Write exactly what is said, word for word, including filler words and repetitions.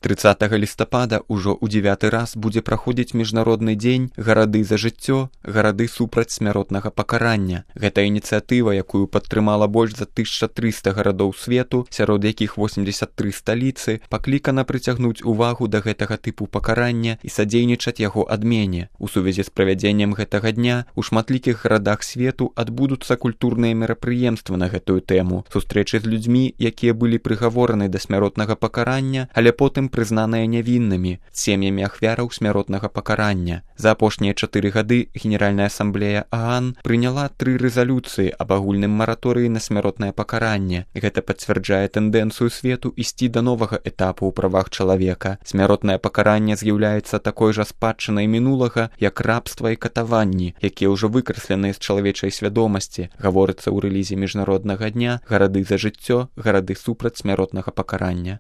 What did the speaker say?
трыццатага лістапада ўжо ў дзевяты раз будзе праходзіць міжнародны дзень «Гарады за жыццё, гарады супраць смяротнага пакарання». Гэта ініцыятыва, якую падтрымала больш за тысяча трыста гарадоў свету, сярод якіх восемдзесят тры сталіцы, паклікана прыцягнуць увагу да гэтага тыпу пакарання і садзейнічаць яго адмене. У сувязі з правядзеннем гэтага дня у шматлікіх гарадах свету адбудуцца культурныя мерапрыемствы на гэтую тэму, сустрэчы з людзьмі, якія былі прыгавораны да смяротнага пакарання, але потым прызнаныя нявіннымі, сем'ямі ахвяраў смяротнага пакарання. За апошнія чатыры гады Генеральная асамблея ААН прыняла тры рэзалюцыі аб агульным мараторыі на смяротнае пакаранне. Гэта пацвярджае тэндэнцыю свету ісці да новага этапу ў правах чалавека. Смяротнае пакаранне з'яўляецца такой жа спадчынай мінулага, як рабства і катаванні, якія ўжо выкрасленыя з чалавечай свядомасці, гаворыцца ў рэлізе міжнароднага дня «Гарады за жыццё, гарады супраць смяротнага пакарання».